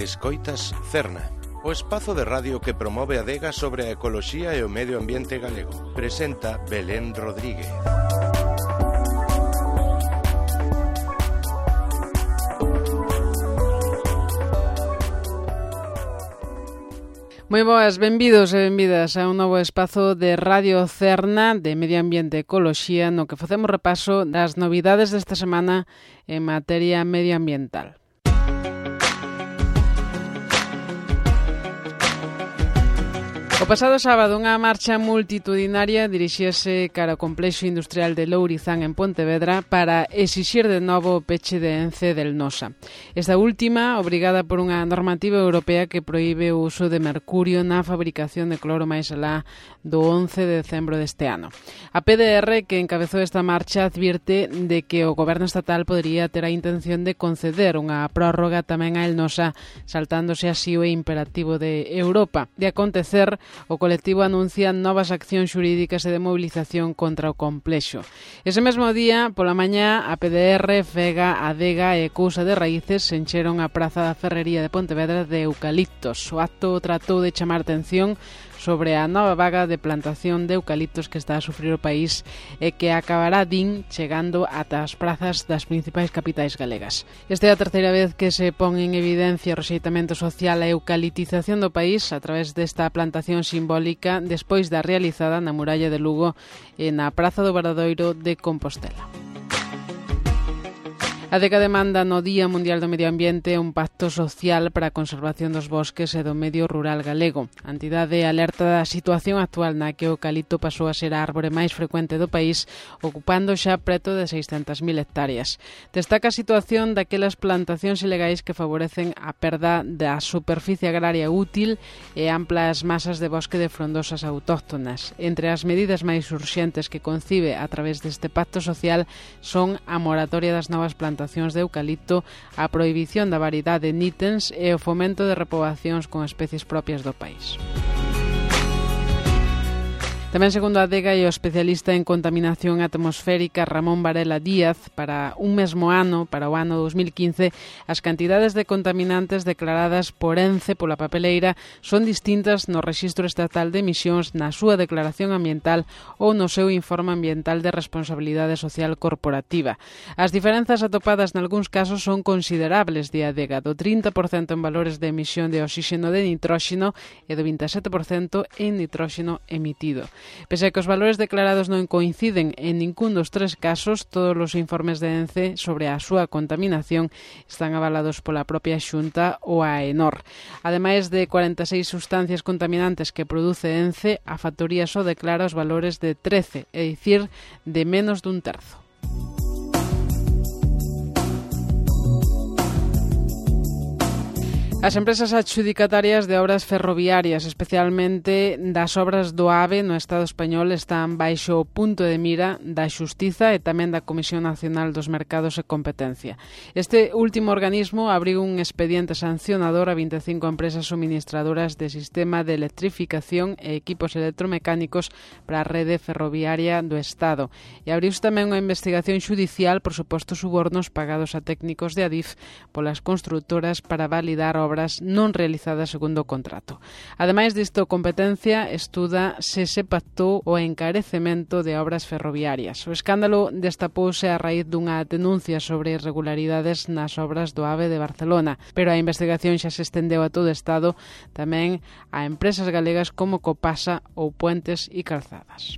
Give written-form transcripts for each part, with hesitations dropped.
Escoitas Cerna, o espazo de radio que promove a adega sobre a ecoloxía e o medio ambiente galego. Presenta Belén Rodríguez. Moi boas, benvidos e benvidas a un novo espazo de Radio Cerna de Medio Ambiente e Ecoloxía no que facemos repaso das novidades desta semana en materia medioambiental. O pasado sábado unha marcha multitudinaria dirixíase cara ao complexo industrial de Lourizán en Pontevedra para exixir de novo o peche de Ence del Nosa. Esta última, obrigada por unha normativa europea que proíbe o uso de mercurio na fabricación de cloro máis alá do 11 de decembro deste ano. A PDR, que encabezou esta marcha, advirte de que o goberno estatal podería ter a intención de conceder unha prórroga tamén a El Nosa, saltándose así o imperativo de Europa. De acontecer, o colectivo anuncia novas accións xurídicas e de movilización contra o complexo. Ese mesmo día, pola mañá, a PDR, FEGA, ADEGA e Cousa de Raíces se encheron a Praza da Ferrería de Pontevedra de eucaliptos. O acto tratou de chamar atención sobre a nova vaga de plantación de eucaliptos que está a sufrir o país e que acabará, din, chegando ata as prazas das principais capitais galegas. Esta é a terceira vez que se pon en evidencia o rexeitamento social e eucaliptización do país a través desta plantación simbólica despois da realizada na muralla de Lugo e na Praza do Obradoiro de Compostela. A ADEGA demanda no Día Mundial do Medio Ambiente un pacto social para a conservación dos bosques e do medio rural galego. A entidade alerta da situación actual na que o eucalipto pasou a ser a árbore máis frecuente do país, ocupando xa preto de 600.000 hectáreas. Destaca a situación daquelas plantacións ilegais que favorecen a perda da superficie agraria útil e amplas masas de bosque de frondosas autóctonas. Entre as medidas máis urxentes que concibe a través deste pacto social son a moratoria das novas plantacións de eucalipto, a prohibición da variedade de nítens e o fomento de repoboacións con especies propias do país. Tamén, segundo a ADEGA e o especialista en contaminación atmosférica Ramón Varela Díaz, para un mesmo ano, para o ano 2015, as cantidades de contaminantes declaradas por Ence pola papeleira son distintas no Rexistro Estatal de Emisións, na súa declaración ambiental ou no seu informe ambiental de responsabilidade social corporativa. As diferenzas atopadas nalgúns casos son considerables, di a ADEGA, do 30% en valores de emisión de oxígeno de nitróxeno e do 27% en nitróxeno emitido. Pese a que os valores declarados non coinciden en ningún dos tres casos, todos os informes de Ence sobre a súa contaminación están avalados pola propia Xunta ou a AENOR. Ademais de 46 sustancias contaminantes que produce Ence, a factoría só declara os valores de 13, é dicir, de menos dun terzo. As empresas adxudicatarias de obras ferroviarias, especialmente das obras do AVE no Estado español, están baixo o punto de mira da Xustiza e tamén da Comisión Nacional dos Mercados e Competencia. Este último organismo abriu un expediente sancionador a 25 empresas suministradoras de sistema de electrificación e equipos electromecánicos para a rede ferroviaria do Estado. E abriuse tamén unha investigación xudicial por supostos subornos pagados a técnicos de Adif polas constructoras para validar obras non realizadas segundo o contrato. Ademais disto, Competencia estuda se pactou o encarecemento de obras ferroviarias. O escándalo destapouse a raíz dunha denuncia sobre irregularidades nas obras do AVE de Barcelona, pero a investigación xa se estendeu a todo o Estado, tamén a empresas galegas como Copasa ou Puentes e Calzadas.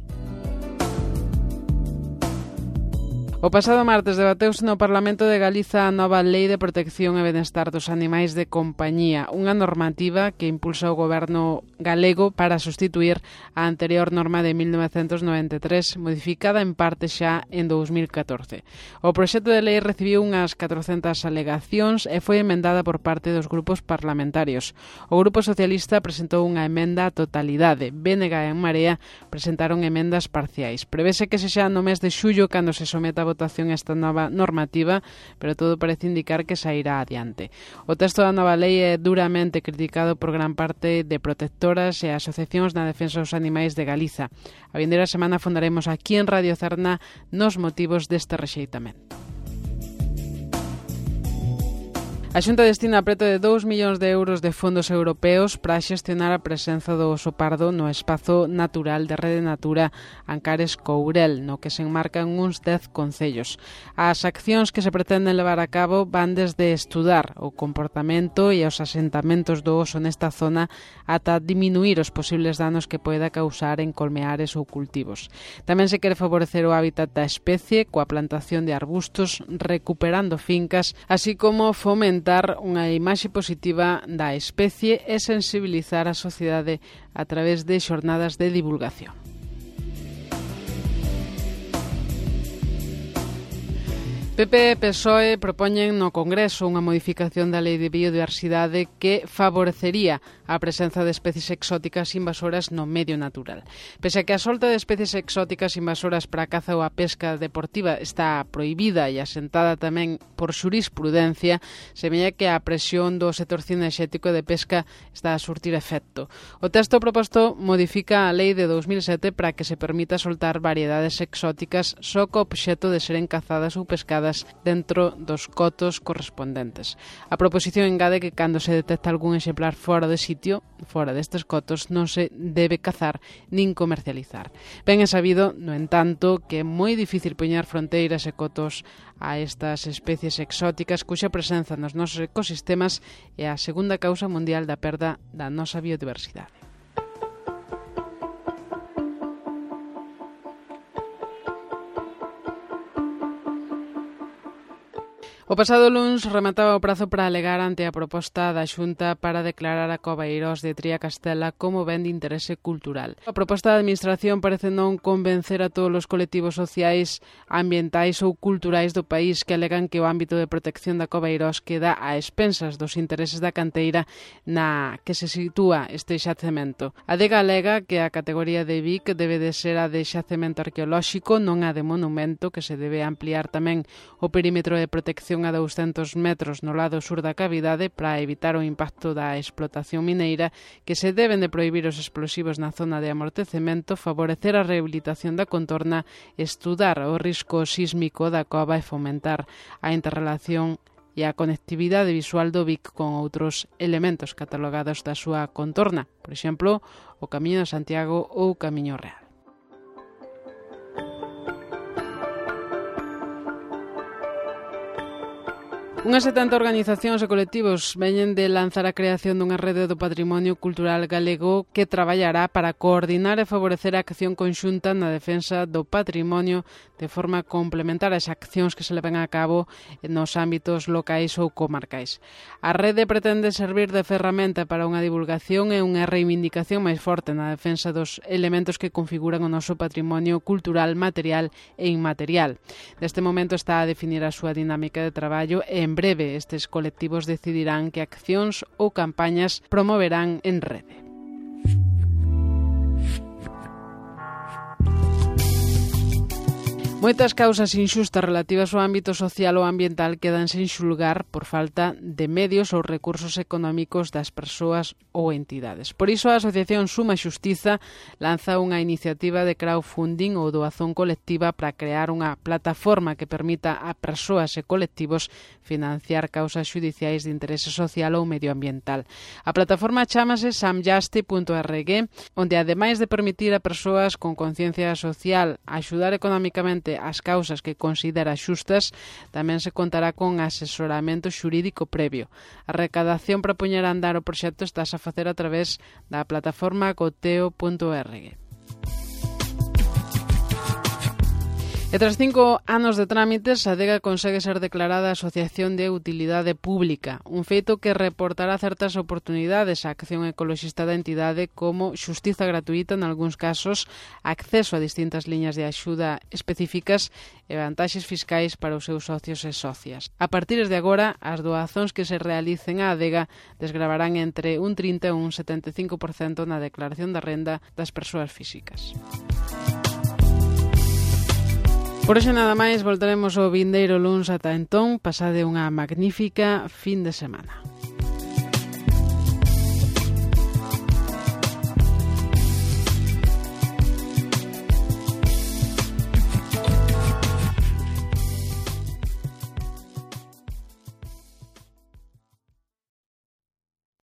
O pasado martes debateuse no Parlamento de Galiza a nova Lei de Protección e Benestar dos Animais de Compañía, unha normativa que impulsa o goberno galego para sustituir a anterior norma de 1993, modificada en parte xa en 2014. O proxecto de lei recibiu unhas 400 alegacións e foi emendada por parte dos grupos parlamentarios. O Grupo Socialista presentou unha emenda á totalidade. BNG e En Marea presentaron emendas parciais. Prevese que sexa no mes de xullo cando se someta a votación esta nova normativa, pero todo parece indicar que sairá adiante. O texto da nova lei é duramente criticado por gran parte de protectoras e asociacións na defensa dos animais de Galiza. A vindeira semana fondaremos aquí en Radio Cerna nos motivos deste rexeitamento. A Xunta destina preto de 2 millóns de euros de fondos europeos para xestionar a presenza do oso pardo no espazo natural de Rede Natura Ancares Courel, no que se enmarcan uns 10 concellos. As accións que se pretenden levar a cabo van desde estudar o comportamento e os asentamentos do oso nesta zona ata diminuir os posibles danos que poida causar en colmeares ou cultivos. Tamén se quere favorecer o hábitat da especie coa plantación de arbustos, recuperando fincas, así como fomentar unha imaxe positiva da especie e sensibilizar a sociedade a través de xornadas de divulgación. PP e PSOE propoñen no Congreso unha modificación da Lei de Biodiversidade que favorecería a presenza de especies exóticas invasoras no medio natural. Pese a que a solta de especies exóticas invasoras para a caza ou a pesca deportiva está prohibida e asentada tamén por xurisprudencia, semella que a presión do sector cinexético de pesca está a surtir efecto. O texto proposto modifica a Lei de 2007 para que se permita soltar variedades exóticas só co obxecto de seren cazadas ou pescadas dentro dos cotos correspondentes. A proposición engade que cando se detecta algún exemplar fora de sitio, fora destes cotos, non se debe cazar nin comercializar. Ben é sabido, no entanto, que é moi difícil poñer fronteiras e cotos a estas especies exóticas cuxa presenza nos nosos ecosistemas é a segunda causa mundial da perda da nosa biodiversidade. O pasado luns remataba o prazo para alegar ante a proposta da Xunta para declarar a Cova Eirós de Tria Castela como ben de interese cultural. A proposta da Administración parece non convencer a todos os colectivos sociais, ambientais ou culturais do país que alegan que o ámbito de protección da Cova Eirós queda a expensas dos intereses da canteira na que se sitúa este xacemento. A DEGA alega que a categoría de BIC debe de ser a de xacemento arqueolóxico, non a de monumento, que se debe ampliar tamén o perímetro de protección a 200 metros no lado sur da cavidade para evitar o impacto da explotación mineira, que se deben de prohibir os explosivos na zona de amortecemento, favorecer a rehabilitación da contorna, estudar o risco sísmico da cova e fomentar a interrelación e a conectividade visual do BIC con outros elementos catalogados da súa contorna, por exemplo, o Camiño de Santiago ou o Camiño Real. Unhas 70 organizacións e colectivos veñen de lanzar a creación dunha rede do patrimonio cultural galego que traballará para coordinar e favorecer a acción conxunta na defensa do patrimonio de forma complementar ás accións que se levan a cabo nos ámbitos locais ou comarcais. A rede pretende servir de ferramenta para unha divulgación e unha reivindicación máis forte na defensa dos elementos que configuran o noso patrimonio cultural material e inmaterial. Neste momento está a definir a súa dinámica de traballo e en breve estes colectivos decidirán que accións ou campañas promoverán en rede. Moitas causas inxustas relativas ao ámbito social ou ambiental quedan sen xulgar por falta de medios ou recursos económicos das persoas ou entidades. Por iso a Asociación Suma Xustiza lanza unha iniciativa de crowdfunding ou doazón colectiva para crear unha plataforma que permita a persoas e colectivos financiar causas xudiciais de interese social ou medioambiental. A plataforma chámase samjusti.org, onde ademais de permitir a persoas con conciencia social axudar económicamente as causas que considera xustas, tamén se contará con asesoramento xurídico previo. A recadación para poñer a andar o proxecto estás a facer a través da plataforma goteo.org. E tras 5 anos de trámites, a DEGA consegue ser declarada Asociación de Utilidade Pública, un feito que reportará certas oportunidades á acción ecoloxista da entidade como xustiza gratuita nalgúns casos, acceso a distintas liñas de axuda específicas e vantaxes fiscais para os seus socios e socias. A partir de agora, as doazóns que se realicen á DEGA desgravarán entre un 30 e un 75% na declaración da renda das persoas físicas. Por hoxe nada máis, voltaremos ao vindeiro luns. Ata entón, pasade unha magnífica fin de semana.